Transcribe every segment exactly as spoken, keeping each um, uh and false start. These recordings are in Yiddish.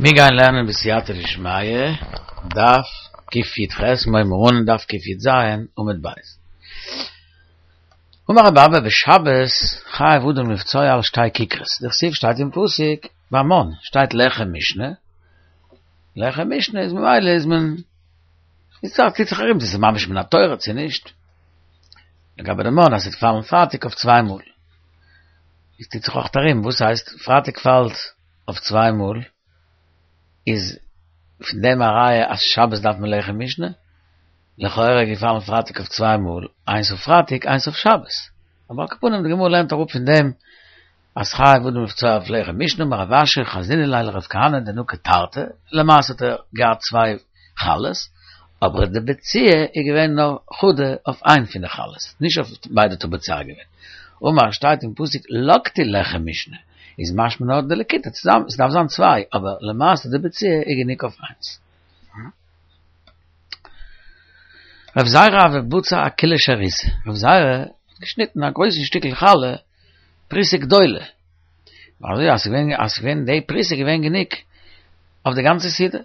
מיר גייען לערנען בסייעתא דשמיא, דף קי"ח, מיר אן דף קי"ז, עמוד ב'. אמר רבי אבא בשבת חייב אדם לבצוע על שתי כיכרות, דכתיב שטייט אין פסוק ביי מן, שטייט לחם משנה, לחם משנה איז ממילא איז מען, איז דאך טוט זיך ארום צו ס'איז ממש מן התורה צו נישט, לגבי די מן אז ס'וועט פאלן פרייטאג אויף צוויי מאל, איז טוט זיך אויך ארום וואס הייסט פרייטאג פאלט אויף צוויי מאל, איז פון דעם א ראיה אז שבת דארף מען לחם משנה? לכאורה געפאלן פרייטאג אויף צוויי מאל, איינס אויף פרייטאג איינס אויף שבת. אבער על כל פנים די גמרא לערנט אראפ פון דעם אז חייב אדם לבצוע אויף לחם משנה, אמר רב אשי חזינא ליה לרב כהנא דנקיט תרתי, למעשה האט ער געהאט צוויי חלות, אבער די בציעה איז געווען נאר חדא אויף איין פון די חלות, נישט אויף ביידע האט ער בוצע געווען. אמר שטייט אין פסוק לקטו לחם משנה, איז משמע נאר די לקיטה צוזאמען, עס דארף זיין צוויי, אבער למעשה די בציעה איז גענוג אויף איינס. רב זירא הוה בצע אכולא שריתא, רב זירא האט געשניטן א גרויסן שטיקל חלה, פרוסה גדולה, אזוי אז ס'געווען אז ס'געווען די פרוסה געווען גענוג אויף די גאנצע סעודה,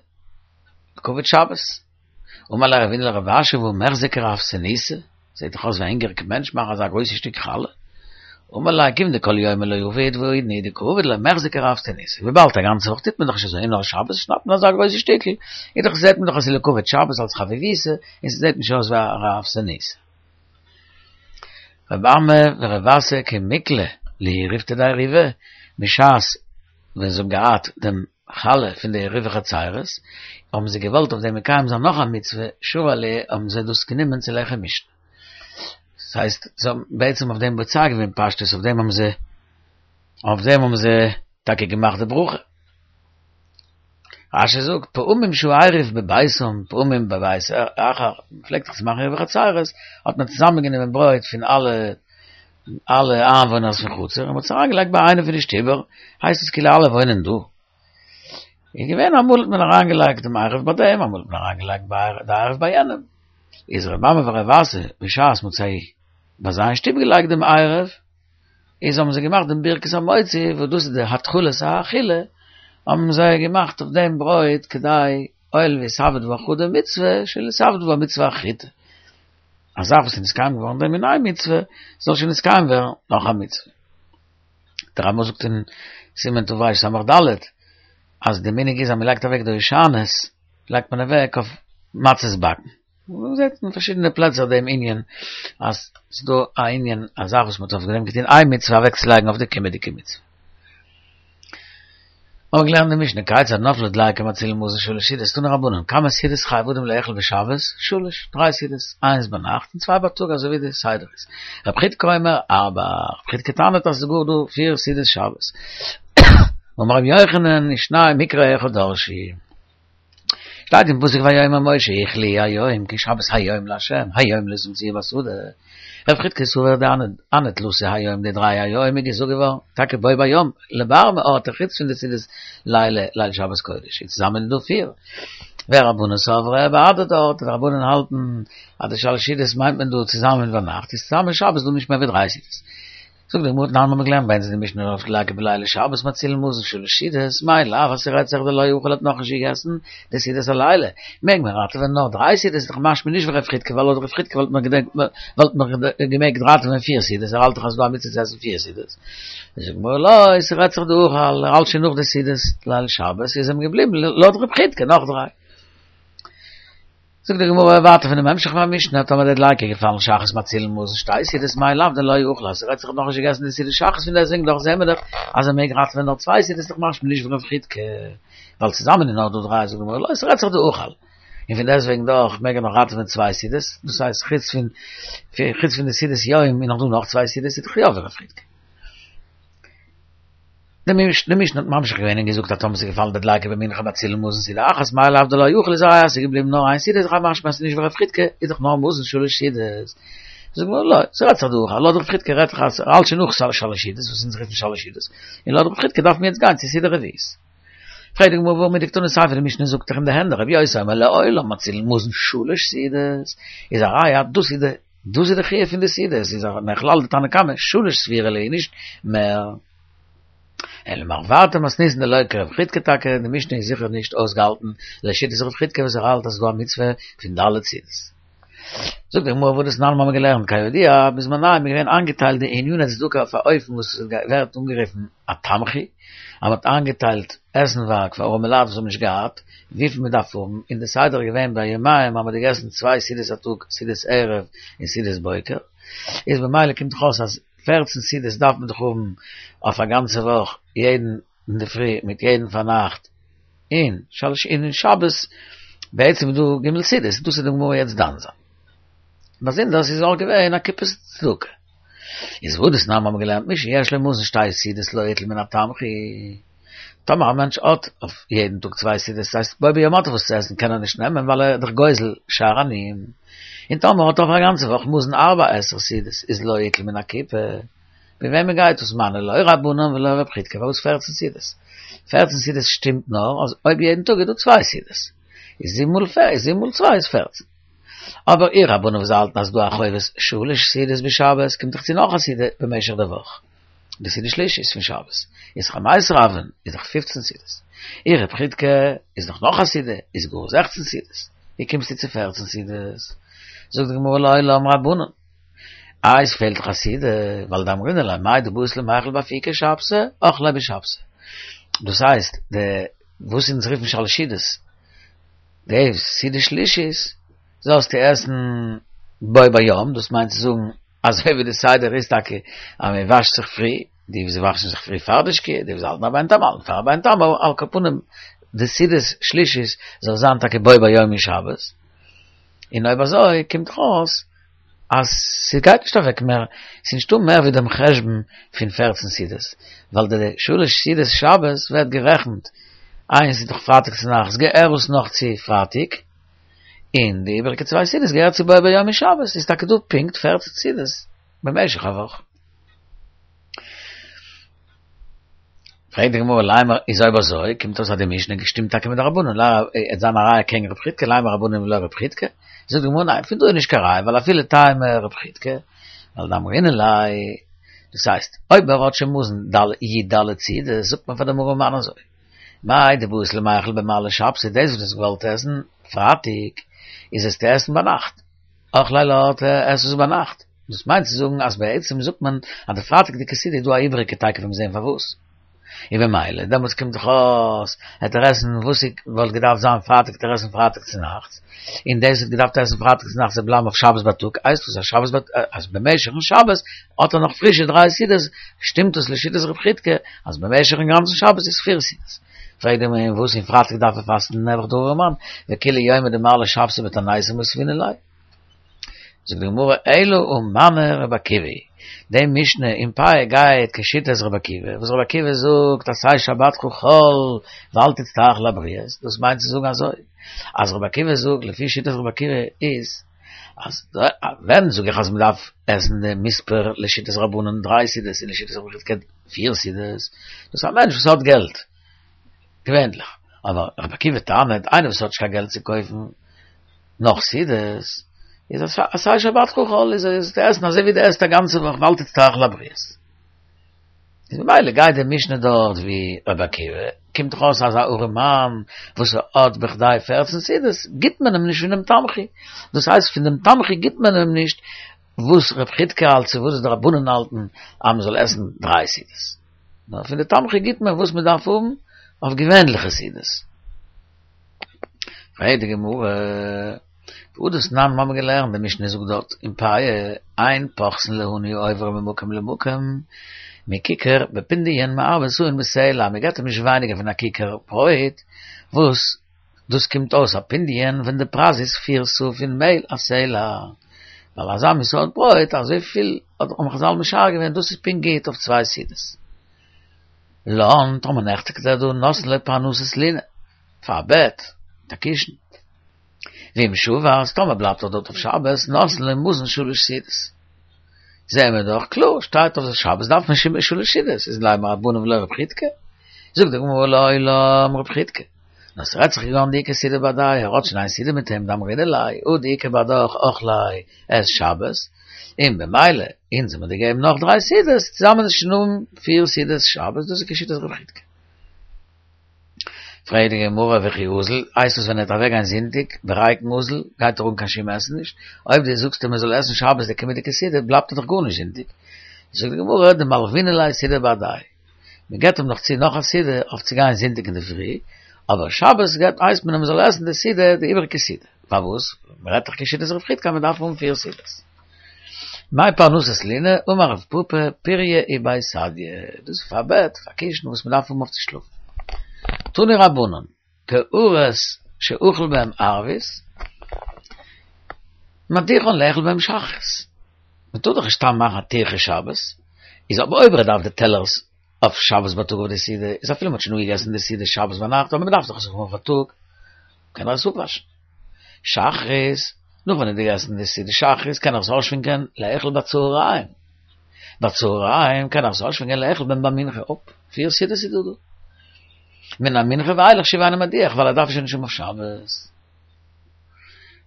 לכבוד שבת. אמר ליה רבינא לרב אשי והא מיחזי כרעבתנותא, זעט דאך אויס ווי א הונגעריגע מענטש מאכן אזא גרויסע שטיק חלה. אמר ליה כיון דכל יומא לא עביד והאידנא הוא דקא עביד לא מיחזי כרעבתנותא, וויבאלד א גאנצע וואך טוט מען דאך נישט אזוי און נאר שבת שניידט מען אזא גרויסע שטיקל, איז דאך זעט מען דאך אז ס'איז לכבוד שבת אלס חביבותא און ס'זעט נישט אויס ווי א רעבתנותא. רב אמי ורב אסי כי מיקלע להו ריפתא דעירובא, בשעת ווען זיי האבן געהאט דעם חלה פון די עירובי חצירות, האבן זיי געוואלט אויף דעם מקיים זיין נאך א מצוה, שרו עליה האבן זיי דאס גענומען צו לחם משנה. דאס הייסט, זיי האבן בעצם אויף דעם בוצע געווען פשטות, אויף דעם האבן זיי, אויף דעם האבן זיי טאקע געמאכט די ברכה. רשי זאגט, פעמים שהעירוב בביתם, פעמים בבית אחר, מען פלעגט דאך צו מאכן עירובי חצירות, האט מען צוזאמען גענומען ברויט פון אלע אלע איינוואוינערס פון חצר, און מען האט עס אריינגעלייגט ביי איינע פון די שטיבער, הייסט עס כאילו אלע וואוינען דא. איז געווען אמאל האט מען אריינגעלייגט דעם עירוב ביי דעם, אמאל האט מען אריינגעלייגט די עירוב ביי יענעם. איז ר' אמי ור' אסי בשעת מען האט זיי ביי זיי אין שטוב געלייגט דעם עירוב, איז האבן זיי געמאכט דעם ברכת המוציא, וואס דאס איז די התחלת האכילה, האבן זיי געמאכט אויף דעם ברויט כדי הואיל ואיתעביד בה חדא מצוה, שלא יתעבד בה מצוה אחריתא. א זאך וואס איז נתקיים געווארן דעם אין איין מצוה, זאל שוין נתקיים ווערן נאך א מצוה. דער רמא זאגט אין סימן תרס"ד, אז די מנהג איז אז מען לייגט אוועק די הושענות, לייגט מען אוועק אויף מצות באקן. מען זעט אין פארשידענע פלעצער דעם ענין, אז ס'איז דא א ענין, א זאך וואס מען האט אויף דעם געטון איין מצוה אוועקצולייגן אויף די קומענדיגע מצוה. האבן געלערנט די משנה, כיצד נפלה דליקה מצילין מזון שלש סעודות, תנו רבנן, כמה סעודות חייב אדם לאכול בשבת? שלש, דריי סעודות, איינס ביינאכט און צוויי בייטאג אזוי ווי די סדר איז. רב חידקא אומר ארבע, רב חידקא טענה'ט אז ס'איז גאר דא פיר סעודות שבת. אמר רבי יוחנן, ושנים מקרא אחד דרשו. שטייט אין פסוק ויאמר משה אכלו היום כי שבת היום לה' היום לא תמצאוהו בשדה, רב חידקא סבר דהני תלתא היום די דריי היום איז געזאגט געווארן טאקע בו ביום לבר מאורתא חוץ פון די סעודת לילה ליל שבת קודש איז צוזאמען איז דא פיר ורבנן סברי בהדדי אורתא די רבנן האלטן אז די שלש סעודות מיינט מען דא צוזאמען ביינאכט איז צוזאמען שבת דא נישט מער ווי דריי סעודות. זאגט די גמרא תנן מ'האט געלערנט ביי אונז אין די משנה נפלה דליקה בלילי שבת מצילין מזון שלש סעודות מאי לאו אז ס'רעדט זיך דלא אכל האט נאכנישט געגעסן די סעודת הלילה מעג מען ראטעווען נאר דריי סעודות איז דאך משמע נישט ווי רב חידקא ווייל לויט רב חידקא וואלט מען וואלט מען געמעגט ראטעווען פיר סעודות ער האלט דאך אז ס'דא א מצוה צו עסן פיר סעודות זאגט די גמרא לא ס'רעדט זיך דאכל ער האלט שוין נאך די סעודת ליל שבת איז אים געבליבן לויט רב חידקא נאך דריי. זאגט די גמרא ווייטער פונעם המשך פון משנה, טאמער די דליקה איז געפאלן שחרית מצילין מזון שתי סעודות מאי לאו דלא אכל אז ס'רעדט זיך האט נאכנישט געגעסן די סעודת שחרית פון דעסוועגן דאך זעהן מיר דאך אז ער מעג ראטעווען נאר צוויי סעודות איז דאך משמע נישט ווי רב חידקא ווייל צוזאמען איז נאר דא דריי זאגט די גמרא לא ס'רעדט זיך דאכל און פון דעסוועגן דאך מעג ער נאך ראטעווען צוויי סעודות דאס הייסט חוץ פון חוץ פון די סעודת יום איז נאך דא נאך צוויי סעודות איז דאך יא ווי רב חידקא. די משנה האט ממשיך געווען און געזאגט אז טאמער ס'איז געפאלן די דליקה במנחה מצילין מזון סעודה אחת מאי לאו דלא אכל איז א ראיה אז ס'איז געבליבן נאר איין סעודה איז דאך משמע אז ס'איז נישט ווי רב חידקא איז דאך נאר מזון שלש סעודות זאגט די גמרא לא ס'רעדט זיך דאכל לויט רב חידקא רעדט זיך אז ס'האלט שוין נאך שלש סעודות וואס אונז רופן שלש סעודות און לויט רב חידקא דארף מען יעצט גיין צו סעודה רביעית פרעגט די גמרא והא מדקתני סיפא די משנה זאגט דאך אין די הענט רבי יוסי אומר לעולם מצילין מזון שלש סעודות איז א ראיה אז דאס איז די דאס איז די חיוב פון די סעודות איז מכלל דתנא קמא שלש סבירא להו נישט מער. אלא מערבתא מתניתין דלא כרב חידקא טאקע, די משנה איז זיכער נישט אויסגעהאלטן לשיטת רב חידקא וואס ער האלט אז ס'איז דא א מצוה פון ד' סעודות. זאגט די גמרא והא דתנן מיר האבן געלערנט כידוע בזמנם איז געווען איינגעטיילט די עניני צדקה אויף א אופן וואס ווערט אנגערופן א תמחוי, אז מ'האט איינגעטיילט עסנווארג פאר ארעמע לייט וואס האבן נישט געהאט וויפיל מ'דארף האבן, און די סדר איז געווען בימיהם אז מ'האט געגעסן צוויי סעודות א טאג סעודת ערב און סעודת בוקר, איז במילא קומט דאך אויס אז פֿערצן סעודות דארף מען דאך האבן אויף א גאנצע וואך יעדן אינדערפרי מיט יעדן פארנאכט און שלש און שבת בעצם איז דא ג' סעודות דאס איז די גמרא יעצט דן זיין. באזונדערס איז אויך געווען א קופת צדקה. איז והא דתנן מיר האבן געלערנט מי שיש לו מזון שתי סעודות לא יטול מן התמחוי. טאמער א מענטש האט אויף יעדן טאג צוויי סעודות ס'הייסט בו ביום האט ער וואס צו עסן קען ער נישט נעמען ווייל ער איז דאך גוזל שאר עניים. און טאמער האט ער אויף א גאנצע וואך מזון ארבע עשר סעודות איז לא יטול מן הקופה. ווי וועמען גייט דאס מני לא רבנן ולא רב חידקא פארוואס פֿערצן סעודות? פֿערצן סעודות שטימט נאר אז אויב יעדן טאג איז דא צוויי סעודות איז זיבן מאל זיבן מאל צוויי איז פֿערצן. אבער אי רבנן וואס האלטן אז ס'דא א חובת שלש סעודות בשבת קומט דאך צו נאך א סעודה במשך די וואך די סעודה שלישית פון שבת איז חמיסר הויין איז דאך פֿופֿצן סעודות אי רב חידקא איז דאך נאך א סעודה איז גאר זעכצן סעודות ווי קומסטו צו פֿערצן סעודות? זאגט די גמרא לעולם רבנן איי עס פעלט דאך א סעודה ווייל דאמרינן ליה מאי דבעית למיכל באפוקי שבתא אכליה בשבתא דאס הייסט די וואס אונז רופן שלש סעודות די סעודה שלישית זאלסטו עסן בו ביום, דאס מיינט צו זאגן אזוי ווי די סדר איז טאקע אז מען וואשט זיך פרי, די וואס וואשן זיך פרי פאר די שקיעה, די וואס האלטן רבינו תם האלטן פאר רבינו תם, אבער על כל פנים די סעודה שלישית זאל זיין טאקע בו ביום אין שבת, און אויב אזוי קומט דאך אויס אז ס'גייט נישט אוועק מער, ס'איז נישטא מער ווי דעם חשבון פון פֿערצן סעודות, ווייל די שלש סעודות שבת ווערט גערעכנט, איינס איז דאך פרייטאג צונאכטס געהערט עס נאך צו פרייטאג, און די איבעריגע צוויי סעודות געהערט צו בו ביום אין שבת, איז טאקע דא פונקט פֿערצן סעודות במשך א וואך. פרעגט די גמרא לימא איז אויב אזוי קומט אויס אז די משנה שטימט טאקע מיט די רבנן, עט זיין א ראיה קעגן רב חידקא, לימא רבנן ולא רב חידקא, זאגט די גמרא ניין פון דא איז נישט קיין ראיה ווייל אפילו טעמא רב חידקא, ווייל דאמרינן ליה, דאס הייסט אויב ער האט שוין מזון י ד סעודות זאגט מען פאר דעם ארעמאן אזוי, מאי דבעית למיכל במעלי שבתא דאס וואס דו האסט געוואלט עסן פרייטאג איז עס צו עסן ביינאכט, אכליה לאורתא עס עס ביינאכט. דאס מיינט צו זאגן אז בעצם זאגט מען אז די פרייטאג'דיגע סעודה איז דא א איבעריגע תיכף וועט מען זען פארוואס. און במילא דעמאלטס קומט דאך אויס העט ער עסן וואס וואלט געדארפט זיין פרייטאג העט ער עסן פרייטאג צונאכטס, און דאס האט געדארפט עסן פרייטאג צונאכטס וועט בלייבן אויף שבת בייטאג, הייסט דאס אז שבת בייטאג אז במשך'ן שבת האט ער נאך פרישע דריי סעודות, שטימט דאס לשיטת רב חידקא אז במשך'ן גאנצן שבת איז פיר סעודות. פרעגט די גמרא און וואס און פרייטאג דארף ער פאסטן נעבעך דער ארעמאן, וכולי יומא דמעלי שבתא בתעניתא מותבינן ליה. זאגט די גמרא אלא הא מני רבי עקיבא היא, די משנה אין פאה גייט כשיטת רבי עקיבא, וואס רבי עקיבא זאגט עשה שבתך חול ואל תצטרך לבריות, דאס מיינט צו זאגן אזוי, אז רבי עקיבא זאגט לפי שיטת רבי עקיבא איז, אז ווען זאג איך אז מען דארף עסן די מספר לשיטת רבנן דריי סעודות און לשיטת רבי חידקא פיר סעודות, דאס איז א מענטש וואס האט געלט, געווענליך, אבער רבי עקיבא טענה'ט איינער וואס האט נישט קיין געלט צו קויפן נאך סעודות, איז עשה שבתך חול איז עס צו עסן אזוי ווי דו עסט א גאנצע וואך ואל תצטרך לבריות. איז ממילא גייט די משנה דארט ווי רבי עקיבא, קומט דאך אויס אז א ארעמאן וואס האט בכדי פֿערצן סעודות גיט מען אים נישט פון דעם תמחוי, דאס הייסט פון דעם תמחוי גיט מען אים נישט וואס רב חידקא האלט צו וואס די רבנן האלטן אז מען זאל עסן דריי סעודות, נאר פון די תמחוי גיט מען וואס מען דארף האבן אויף געווענליכע סעודות. פרעגט די גמרא, והא דתנן מיר האבן געלערנט די משנה זאגט דארט אין פאה, אין פוחתין לעני העובר ממקום למקום, מכיכר בפונדיון מארבע סאין בסלע, מען געבט אים נישט ווייניגער פון א כיכר ברויט, וואס דאס קומט אויס א פונדיון ווען די פרייז איז פיר סאה פון מעהל א סלע, ווייל אזא מין סארט ברויט אזויפיל האבן חזל משער געווען דאס איז פונקט גוט אויף צוויי סעודות. לן, טאמער נעכטיגט ער דא נותנין לו פרנסת לינה, פאר א בעט, מיט א קישן. ואם שבת, טאמער בלייבט ער דארט אויף שבת, נותנין לו מזון שלש סעודות. זעהן מיר דאך קלאר, שטייט אויף שבת דארף מען שלש סעודות, איז לימא רבנן ולא רב חידקא. זאגט די גמרא לעולם רב חידקא. נאר ס'רעדט זיך כגון דאיכא סעודה בהדיה, ער האט שוין איין סעודה מיט אים, דאמרינן ליה, הא דאיכא בהדך אכליה, עס שבת, און במילא, אונז האבן מיר געגעבן נאך דריי סעודות, צוזאמען איז שוין פיר סעודות שבת, דאס איז כשיטת רב חידקא. פרעגט די גמרא וכי אזיל, הייסט עס ווען ער וועט אוועקגיין זונטאג, בריקן אזיל, גייט ער אן קיין שום עסן נישט, אויב דו זאגסט אים ער זאל עסן שבת די קומענדיגע סעודה, בלייבט ער דאך גארנישט זונטאג. זאגט די גמרא, דמלוינן ליה סעודה בהדיה, מען געבט אים נאך צו נאך א סעודה אויף צו גיין זונטאג אינדערפרי, אבער שבת געבט הייסט מען אים ער זאל עסן די סעודה, די איבעריגע סעודה. פארוואס? מען רעדט דאך כשיטת רב חידקא מען דארף האבן פיר סעודות. מאי פרנסת לינה, אמר רב פפא, פוריא ובי סדיא, דאס איז פאר בעט, פאר קישן וואס מען דארף האבן אויף צו שלאפן. תנו רבנן, קערות שאכל בהם ערבית, מדיחן לאכול בהם שחרית. מען טאר דאך נישט סתם מאכן א טירחה שבת, איז אבער אויב ער דארף די טעלערס אויף שבת בייטאג אויף די סעודה, איז אפילו מען האט שוין אפגעגעסן די סעודה שבת ביינאכט, אבער מען דארף דאך עס האבן אויף בייטאג, קען ער עס אפוואשן. שחרית, נאך ווען ער האט געגעסן די סעודה שחרית קען ער עס אויסשווענקען לאכול בצהריים. בצהריים קען ער עס אויסשווענקען לאכול בהם במנחה. אופ, פיר סעודות איז דא דא. מן המנחה ואילך שוב אינו מדיח, ווייל ער דארף עס שוין נישט האבן אויף שבת.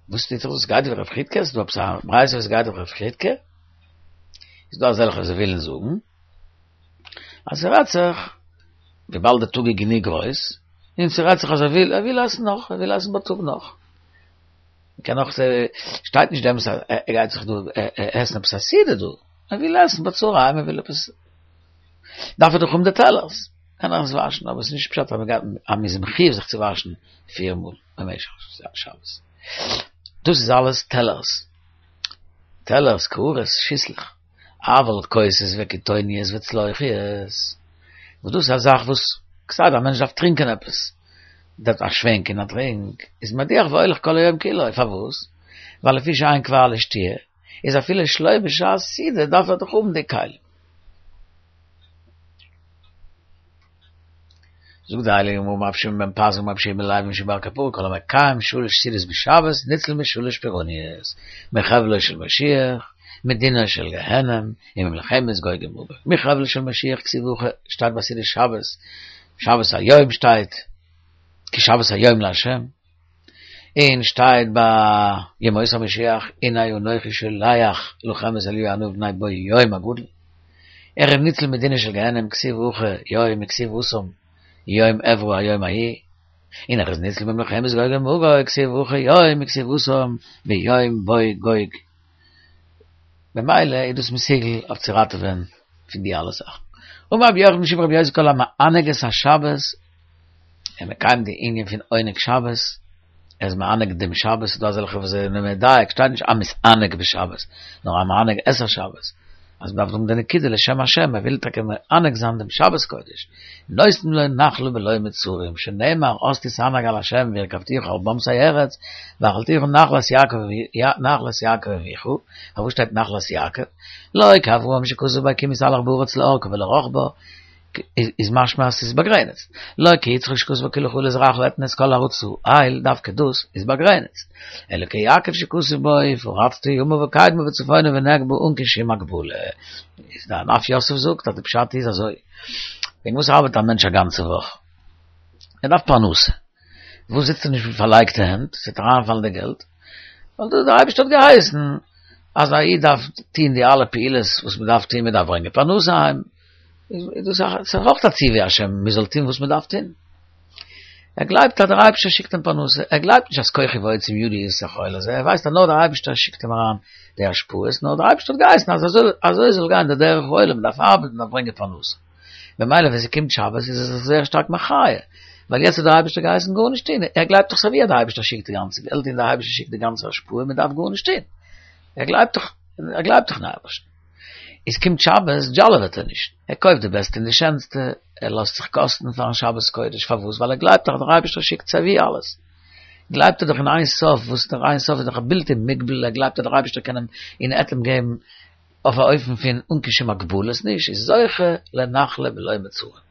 וואס טוט זיך דאס גייט ווי רב חידקא? ס'איז דא עפעס א ברייתא וואס גייט ווי רב חידקא? איז דא אזעלכע וואס ווילן זאגן אז ס'רעדט זיך וויבאלד די טאג איז גענוג גרויס, און ס'רעדט זיך אז ער וויל, ער וויל עסן נאך, ער וויל עסן בייטאג נאך. מ'קען נאך, שטייט נישט דעמאלטס אז ער גייט זיך דא עסן עפעס א סעודה דא, ער וויל עסן בצהריים, ער וויל עפעס, דארף ער דאך האבן די טעלערס, קען ער עס וואשן, אבער ס'איז נישט פשט אז מ'גייט, אז מ'איז מחויב זיך צו וואשן פיר מאל במשך שבת. דאס איז אלעס טעלערס, טעלערס, קערות, שיסלעך. אבל כוסות וקיטוניות וצלוחיות, וואס דאס איז א זאך וואס כסדר א מענטש דארף טרינקען עפעס, דארף א שווענק און א טרינק, איז מדיח והולך כל היום כולו, פארוואס? ווייל לפי שאין כבר לשתיה, איז אפילו שלא בשעת סעודה דארף ער דאך האבן די כלים. זאגט די הייליגע גמרא אמר רבי שמעון בן פזי אמר רבי יהושע בן לוי משום בר קפרא כל המקיים שלש סעודות בשבת ניצל משלש פורעניות מחבלו של משיח מדינה של גיהנם וממלחמת גוג ומגוג מחבלו של משיח כתיב הכא שטייט ביי סעודת שבת שבת היום שטייט כי שבת היום לה' און שטייט ביי ימות המשיח הנה אנכי שולח לכם את אליהו הנביא מפני בוא יום הגדול ער איז ניצל מדינה של גיהנם כתיב הכא יום וכתיב התם יום אעברה היום ההוא און ער איז ניצל ממלחמת גוג ומגוג כתיב הכא יום וכתיב התם ביום בוא גוג במילא איז דאס מסוגל אויף צו ראטעווען פון די אלע זאכן. אמר רבי יוחנן משום רבי יוסי כל המענג את השבת, ער מקיים די ענין פון עונג שבת, ער איז מענג דעם שבת, ס'איז דא אזעלכע וואס זענען מדייק, שטייט נישט המתענג בשבת, נאר המענג את השבת, אז מ'דארף זאגן די נקודה לשם השם, ער וויל טאקע מענג זיין דעם שבת קודש, נותנים לו נחלה בלא מצרים, שנאמר אז תתענג על השם והרכבתיך על במתי ארץ, והאכלתיך נחלת יעקב נחלת יעקב אביך, פארוואס שטייט נחלת יעקב? לא כאברהם שכתוב בו כי אם יתהלך בארץ לארכה ולרחבה, איז משמע אז ס'איז באגרעניצט. לא כיצחק שכתוב בו כי לך ולזרעך אתן את כל הארץ האל, דווקא דאס איז באגרעניצט. אלא כיעקב שכתוב בו ופרצת ימה וקדמה וצפונה ונגבה אן קיין שום הגבלה. איז דער ענף יוסף זאגט אז די פשט איז אזוי, וועגן וואס ארבעט א מענטש א גאנצע וואך? ער דארף פרנסה. וואס זיצט ער נישט מיט פארלייגטע הענט, ס'וועט אריינפאלן די געלט? ווייל דאס דער אייבערשטער האט געהייסן אז א איד דארף טון די אלע פעולות וואס מען דארף טון, מען דארף ברענגען פרנסה אהיים, איז דאס אויך א ציווי השם, מען זאל טון וואס מען דארף טון. ער גלייבט אז דער אייבערשטער שיקט אים פרנסה, ער גלייבט נישט אז כוחי ועוצם ידי איז החיל הזה, ער ווייסט אז נאר דער אייבערשטער שיקט אים אריין די השפעות, נאר דער אייבערשטער האט געהייסן אז אזוי זאל גיין דער דרך העולם, מען דארף ארבעטן, מען דארף ברענגען פרנסה. ממילא ווען ס'קומט שבת איז ער זיך זייער שטארק מחיה, ווייל יעצט האט דער אייבערשטער געהייסן גארנישט טון, ער גלייבט דאך סייווי אז דער אייבערשטער שיקט די גאנצע געלט און דער אייבערשטער שיקט די גאנצע השפעה, מען דארף גארנישט טון, ער גלייבט דאך, ער גלייבט דאך אין אייבערשטן. איז קומט שבת דזשאלעוועט ער נישט, ער קויפט די בעסטע און די שענסטע, ער לאזט זיך קאסטן פארן שבת קודש, פארוואס? ווייל ער גלייבט דאך אז דער אייבערשטער שיקט סייווי אלעס, גלייבט ער דאך אין אין סוף, וואס דער אין סוף איז דאך א בלתי מוגבל, ער גלייבט אז דער אייבערשטער קען אים און עט אים געבן אויף א אופן פון אן קיין שום הגבלות נישט, איז זוכה לנחלה בלא מצרים.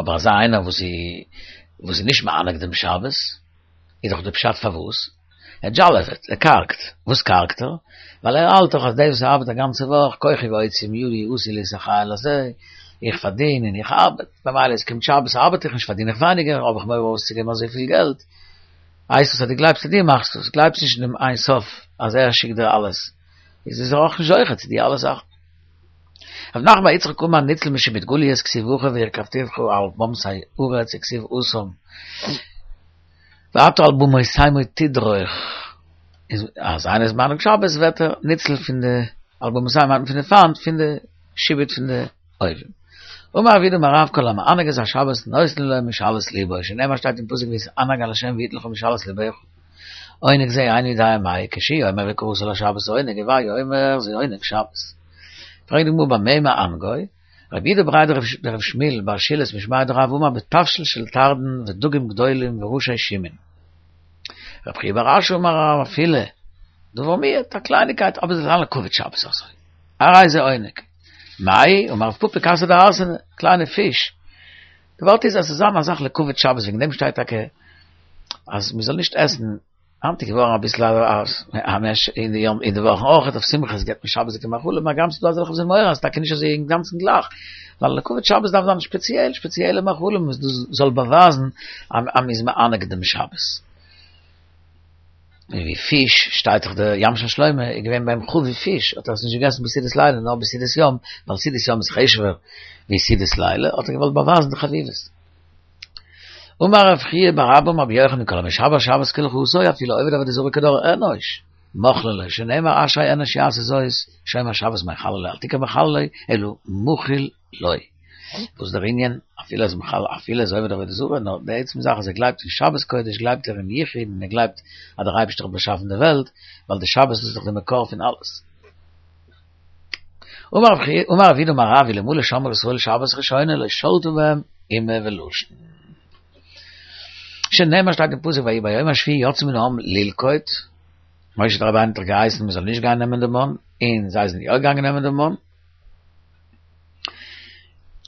אבער אזא איינער וואס איז וואס איז נישט מענג דעם שבת, איז דאך די פשט פארוואס ער דזשאלעוועט, ער קארגט, וואס קארגט ער? ווייל ער האלט דאך אז דאס וואס ער ארבעט א גאנצע וואך, כוחי ועוצם ידי עשו לי את החיל הזה, איך פארדין און איך ארבעט, ממילא עס קומט שבת ארבעט איך נישט פארדין איך ווייניגער, האב איך מורא אויסצוגעבן אזויפיל געלט, הייסט עס אז דו גלייבסט אז דו מאכסט עס, גלייבסט נישט אין דעם אין סוף אז ער שיקט דיר אלעס, איז איז ער אויך נישט זוכה צו די אלע זאכן. רב נחמן בר יצחק אמר ניצל משעבוד גליות כתיב הכא והרכבתיך על במתי ארץ וכתיב התם ואתה על במותימו תדרוך, איז אז איינער איז מענג שבת ווערט ער ניצל פון די על במותימו מיינט מען פון די פיינט פון די שעבוד פון די אויבים. אמר רב יהודה אמר רב כל המענג את השבת נותנין לו משאלות לבו שנאמר שטייט אין פסוק והתענג על ה' ויתן לך משאלות לבך עונג זה איני יודע מהו כשהוא אומר וקראת לשבת עונג הוי אומר זה עונג שבת. פרעגט די גמרא במה מענגו? רב יהודה בריה דרב שמואל בר שילת משמיה דרב אמר בתבשיל של תרדין ודגים גדולים וראשי שומין. רב חייא בר אשי אמר רב אפילו דבר מועט, א קלייניקייט אבער זאל זיין לכבוד שבת אזוי. הרי זה עונג. מאי? אמר רב פפא כסא דהרסנא, קליינע פיש. די ווארט איז אז ס'זאל זיין א זאך לכבוד שבת וועגן דעם שטייט טאקע אז מ'זאל נישט עסן היינט איז געווארן אביסל א מעש אין די יום אין די וואכן אויך אויף שמחות געבט מען שבת'דיגע מאכלים הגם ס'דא אזעלכע וואס זענען מעורר אז טאקע נישט אזוי אינגאנצן גלייך ווייל לכבוד שבת דארף זיין שפעציעל שפעציעלע מאכלים וואס דאס זאל באווייזן אז מ'איז מענג דעם שבת. ווי פיש שטייט דאך די ים של שלמה איז געווען ביי אים חביב פיש האט ער עס נישט געגעסן בסעודת לילה נאר בסעודת יום ווייל סעודת יום איז חשוב'ער ווי סעודת לילה האט ער געוואלט באווייזן די חביבות. אמר רב חייא בר אבא אמר רבי יוחנן כל המשמר שבת כהלכתה אפילו עובד עבודה זרה כדור אנוש מוחלין לו שנאמר אשרי אנוש יעשה זאת שומר שבת מחללו אל תקרי מחללו אלא מחול לו וואס דער ענין אפילו איז מחלל אפילו איז עובד עבודה זרה נאר די עצם זאך אז ער גלייבט אין שבת קודש גלייבט ער אין יחוד און ער גלייבט אז דער אייבערשטער האט באשאפן די וועלט ווייל די שבת איז דאך די מקור פון אלעס. אמר רב יהודה אמר רב אלמלא שמרו ישראל שבת ראשונה לא שלטה בהם אימה ולשון. שנאמר שטייט אין פסוק ויהי ביום השביעי יצאו מן העם ללקוט, משה רבינו האט דאך געהייסן מען זאל נישט גיין נעמען די מן, און זיי זענען יא געגאנגען נעמען די מן.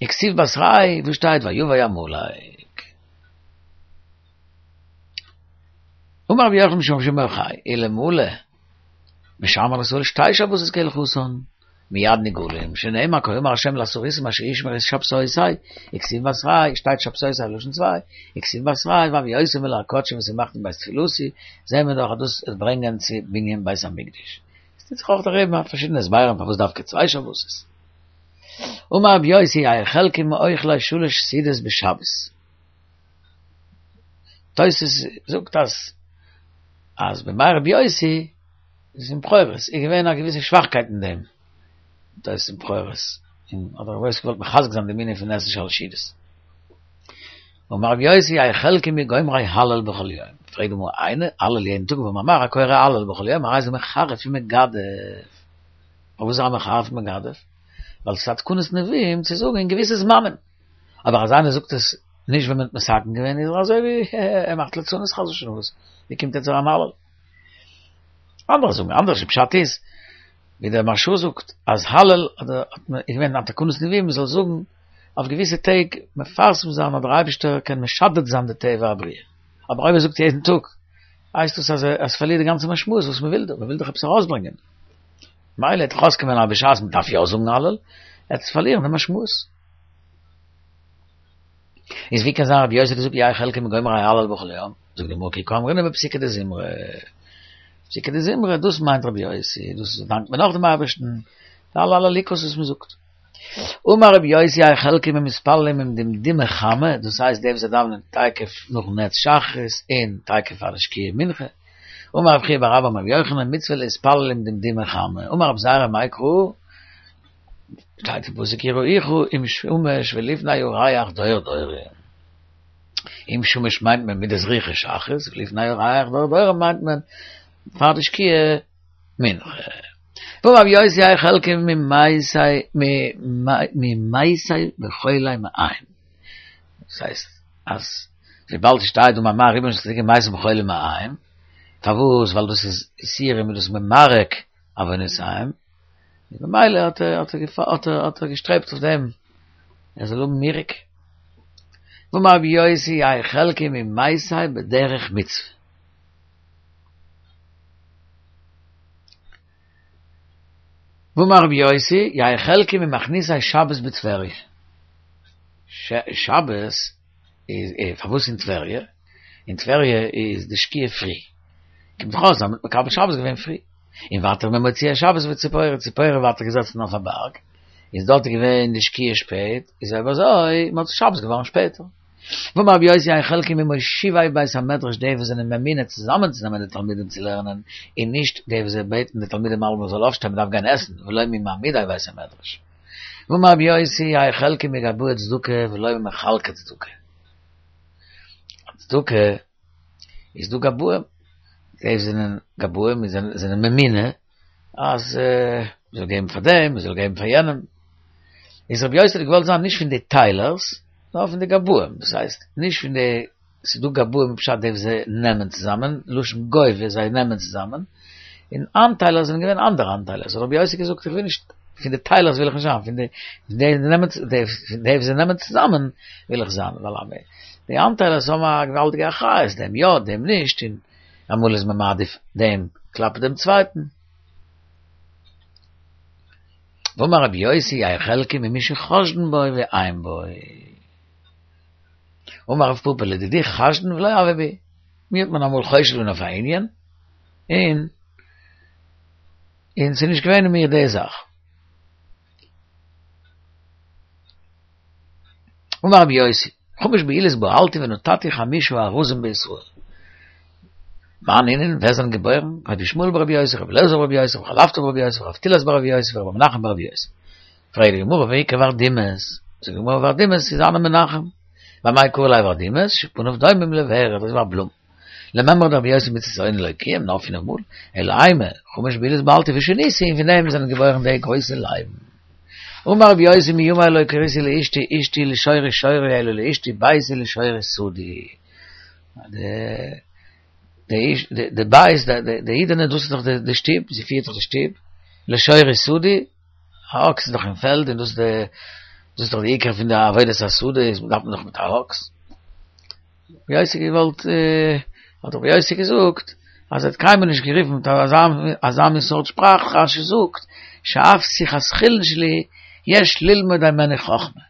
וכתיב בתריה וואס שטייט ויבא עמלק. אמר רבי יוחנן משום רבי שמעון בר יוחאי, אלמלא משמרין ישראל שתי שבתות כהלכתן, מיד נגאלין, שנאמר כה אמר השם לסריסים אשר ישמרו את שבתותי, וכתיב בתריה, שטייט שבתותי לשון צוויי, וכתיב בתריה והביאותים אל הר קדשי ושמחתים בבית תפילתי, זעהן מיר דאך אז דאס וועט ברענגען צו בנין בית המקדש. עס טוט זיך אויך דערהערן פארשידענע הסברים פארוואס דווקא צוויי שבתות. אמר רבי יוסי יהא חלקי מאוכלי שלש סעודות בשבת. תוס' זאגט אז אז בימי רבי יוסי איז אין בכורות איז געווען א געוויסע שוואכקייט אין דעם תוס' אין בכורות און האט רבי יוסי געוואלט מחזק זיין דעם ענין פון עסן שלש סעודות. אמר רבי יוסי יהא חלקי מגומרי הלל בכל יום, פרעגט די גמרא איני הלל יעדן טאג והאמר מר הקורא הלל בכל יום הרי זה מחרף ומגדף, פארוואס איז ער א מחרף ומגדף? ווייל ס'איז א תקנת נביאים צו זאגן אין געוויסע זמנים, אבער אז איינער זאגט עס נישט ווען מען האט מתקן געווען איז ער אזוי ווי ער מאכט ליצנות חס ושלום וואס ווי קומט יעצט אריין הלל? אנדערע זאגן אנדערש די פשט איז ווי דער מהרש"א זאגט אז הלל האט מען איז געווען א תקנת נביאים מען זאל זאגן אויף געוויסע טעג מפרסם זיין אז דער אייבערשטער קען משדד זיין די טבע הבריאה אבער אויב ער זאגט יעדן טאג הייסט דאס אז עס פארלירט די גאנצע משמעות וואס מען וויל דא מען וויל דאך עפעס ארויסברענגען מילא וועט דאך אויסקומען אז בשעת מען דארף יא זאגן הלל וועט עס פארלירן די משמעות. איז ווי קען זיין רבי יוסי האט געזאגט יהא חלקי מגומרי הלל בכל יום, זאגט די גמרא כי קאמרינן בפסוקי דזמרה, פסוקי דזמרה דאס מיינט רבי יוסי, דאס דאנקט מען נאך דעם אייבערשטן, די אלע הללוקה'ס וואס מען זאגט. אמר רבי יוסי יהא חלקי ממתפללים עם דמדומי חמה, דאס הייסט די וואס זיי דאווענען תיכף נאכן נץ שחרית און תיכף פאר די שקיעה מנחה, אמר רב חייא בר אבא אמר רבי יוחנן מצוה להתפלל עם דמדומי חמה, אמר רבי זירא מאי קרא, שטייט אין פסוק יראוך עם שמש ולפני הירח דור דורים. עם שמש מיינט מען מיט די זריחה שחרית, ולפני הירח דור דורים מיינט מען פאר די שקיעה מנחה. ואמר רבי יוסי יהא חלקי ממתי וחולי מעיים. דאס הייסט אז וויבאלד ס'שטייט אמר מר רובן של צדיקים מתים בחולי מעיים, פארוואס? ווייל דאס איז יסורים און דאס איז ממרק עוונותיהם, ממילא האט ער האט ער האט ער געשטרעבט אויף דעם ער זאל האבן מירוק. ואמר רבי יוסי יהא חלקי ממתי בדרך מצוה. ואמר רבי יוסי יהא חלקי ממכניסי שבת בטבריה. שבת איז פארוואס אין טבריה? אין טבריה איז די שקיעה פרי. קומט דאך אויס אז מ'האט מקבל שבת געווען פרי. און ווייטער ממוציאי שבת בציפורי, ציפורי ווייטער געזעצן אויף א בארג, איז דארט געווען די שקיעה שפעט, איז אויב אזוי מוצאי שבת געווארן שפעטער. ואמר רבי יוסי אין חלקי ממושיבי בית המדרש די וואס זענען ממונה צוזאמען צו נעמען די תלמידים צו לערנען, און נישט די וואס זיי בעטן די תלמידים אלעמאל זאל אויפשטיין מ'דארף גיין עסן, ולא ממעמידי בית המדרש. ואמר רבי יוסי יהא חלקי מגבאי צדקה ולא ממחלקי צדקה. צדקה איז דא גבאים, די וואס זענען גבאים זענען ממונה אז מ'זאל געבן פאר דעם, מ'זאל געבן פאר יענעם. איז רבי יוסי האט געוואלט זיין נישט פון די טיילערס, נאר פון די גבאים, דאס הייסט, נישט פון די, ס'איז דא גבאים פשט די וואס זיי נעמען צוזאמען, לשון גובה, זיי נעמען צוזאמען, און איינטיילער זענען געווען אנדערע איינטיילערס, האט רבי יוסי געזאגט איך וויל נישט, פון די טיילערס וויל איך נישט זיין, פון די די וואס זיי נעמען צוזאמען וויל איך זיין, ווייל די איינטיילערס האבן א געוואלדיגע אחריות, דעם יא, דעם נישט, און אמאל איז מען מעדיף דעם כלפי דעם צווייטן. ואמר רבי יוסי יהא חלקי ממי שחושדין בו ואין בו. אמר רב פפא לדידי חשדן ולא הוה בי. מיר האט מען אמאל חושד געווען אויף א ענין, און און ס'איז נישט געווען אין מיר די זאך. אמר רבי יוסי, חמש בעילות בעלתי ונתתי חמשה ארזים בישראל. מאן נינהו, ווער זענען געבוירן? רבי ישמעאל ברבי יוסי, רבי אלעזר ברבי יוסי, רבי חלפתא ברבי יוסי, רב תילס ברבי יוסי, ורבי מנחם ברבי יוסי. פרעגט די גמרא, והאיכא ורדימס? זאגט די גמרא, ורדימס איז הני מנחם. ואמאי קרי ליה ורדימס? שפניו דומים לוורד, דאס איז א בלום. למימרא דרבי יוסי מצות עונה לא קיים, נאר פינף מאל, אלא אימא, חמש בעילות בעלתי ושניתי, און פון דעם זענען געבוירן די גרויסע לייבן. אמר רבי יוסי מימי לא קריתי לאשתי אשתי לשורי שורי אלא לאשתי ביתי לשורי שדי. די בית, די אידענע, דאס איז דאך די שטוב, זי פירט דאך די שטוב, לשורי שדי, א אקס איז דאך אין פעלד, און דאס איז דאך די עיקר פון די עבודת השדה, איז דארף מען דאך מיט א אקס. רבי יוסי געוואלט, האט רבי יוסי געזאגט, אז ער האט קיינמאל נישט גערופן מיט אזא מין סארט שפראך, רשי זאגט, שאף שיחת חולין שלי יש ללמוד הימנה חכמה.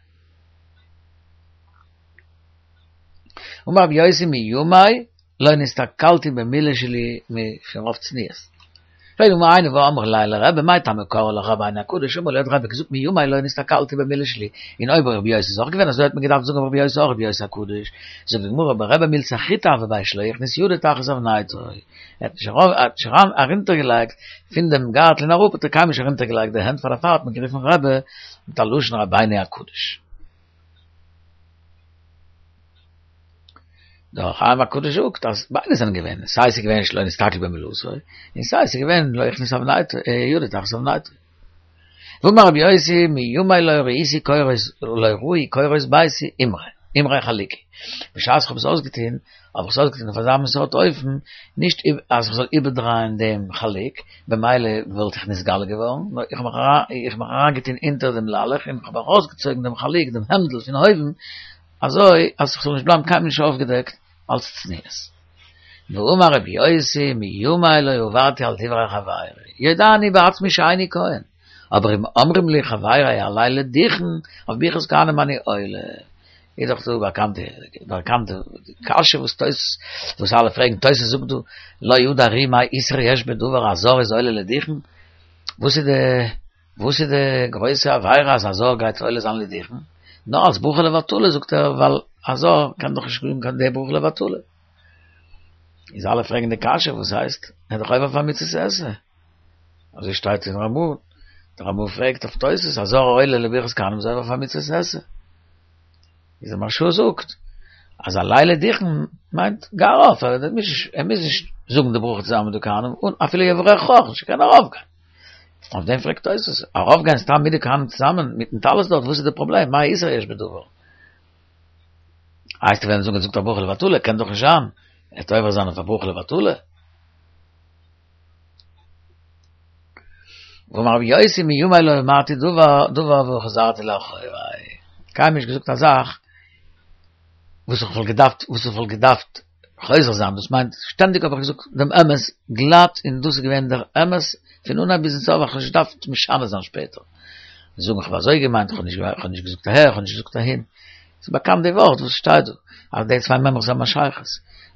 אמר רבי יוסי מימי לא נסתכלתי במילה שלי מרוב צניעות. פרעגט די גמרא היינו והא אמרי ליה לרבי מאי טעמא קרו לך רבינו הקדוש אמר להו האט רבי געזאגט מימי לא נסתכלתי במילה שלי און אויב רבי יוסי איז אויך געווען אזוי האט מען געדארפט זאגן אויף רבי יוסי אויך רבי יוסי הקדוש זאגט די גמרא ברבי מילתא אחריתא הוה ביה שלא הכניס ידו תחת אבנייתו ער האט נישט ארונטערגעלייגט פון דעם גארטל און אראפ האט ער קיינמאל נישט ארונטערגעלייגט די הענט פאר דערפאר האט מען גערופן רבי מיט א לשון רבינו הקדוש. דער אור החיים הקדוש זאגט אז ביידע זענען געווען, סיי ס'איז געווען שלא נסתכל במילתו, און סיי ס'איז געווען לא הכניס אבנייתו, ידו תחת אבנייתו. ואמר רבי יוסי מימי לא ראיתי קורות לא ראו קורות ביתי אמרי, אמרי חלוקי. בשעת כ'האב עס אויסגעטון, האב איך עס אויסגעטון אויף אזא מין סארט אופן, נישט אז כ'זאל איבערדרייען דעם חלוק, במילא וואלט איך נתגלה געווארן, נאר איך האב מיך אריינגעטון אונטער דעם ליילעך און כ'האב ארויסגעצויגן דעם חלוק, דעם העמדל פון אויבן, אזוי אז כ'זאל נישט בלייבן קיינמאל נישט אויפגעדעקט אלס צניעות. ואמר רבי יוסי מימי לא עברתי על דברי חברי, יודע אני בעצמי שאיני כהן, אבער אם אומרים לי חברי עלה לדוכן, אויף ברכת כהנים אני עולה. איז דאך דא באקאנטע באקאנטע קשיא וואס תוס' וואס אלע פרעגן, תוס' זאגט דא לא ידע ר"י מאי איסור יש בדבר א זר איז עולה לדוכן, וואס איז די וואס איז די גרויסע עבירה אז א זר גייט עולה זיין לדוכן? נאר אלס ברכה לבטלה זאגט ער, ווייל א זר קען דאך נישט זאגן קיין די ברכה לבטלה. איז אלע פרעגן די קשיא, וואס הייסט? ער איז דאך עובר אויף א מצות עשה. אזוי שטייט אין רמ"א. דער רמ"א פרעגט אויף תוס', א זר עולה לברכת כהנים איז עובר אויף א מצות עשה. איז דער מהרש"א זאגט אז עלה לדוכן מיינט גיי ארויף, ער מוז נישט זאגן די ברכה צוזאמען מיט די כהנים, און אפילו יברכך אויך נישט, ער קען ארויפגיין. אויף דעם פרעגט תוס', ארויפגיין סתם מיט די כהנים צוזאמען מיטן טלית דארט, וואס איז די פראבלעם, מה איסור יש בדבר? הייסט ווען זאגן זאגט א ברכה לבטלה, קען דאך נישט זיין, ער וועט עובר זיין אויף א ברכה לבטלה. ואמר רבי יוסי מימי לא אמרתי דבר דבר וחזרתי לאחורי. קיינמאל נישט געזאגט א זאך וואס איך וואלט געדארפט וואס איך וואלט געדארפט חוזר זיין, דאס מיינט שטענדיג האב איך געזאגט דעם אמת גלאט און דאס איז געווען דער אמת פון אנהייב ביזן סוף, איך האב נישט געדארפט משנה זיין שפעטער. זאגן איך האב אזוי געמיינט, איך האב נישט געזאגט אהער, איך האב נישט געזאגט אהין. ס'איז באקאנט די ווארט וואס שטייט דא, אז די צוויי מימרות האבן א שייכות.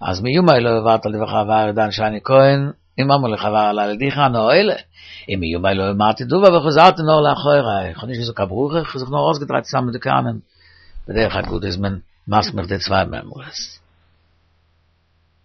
אז מימי לא עברתי על דברי חברי ידעני שאני כהן, אם אמרו לי חברי הלילה דיחי אנא עולה. אם מימי לא אמרתי דבר וחזרתי נאר לאחורי. איך האב נישט געזאגט קיין ברכה, איך האב זיך נאר אויסגעדרייט צוזאמען מיט די כהנים. בדרך אגודה איז מען מסמיך די צוויי מימרות.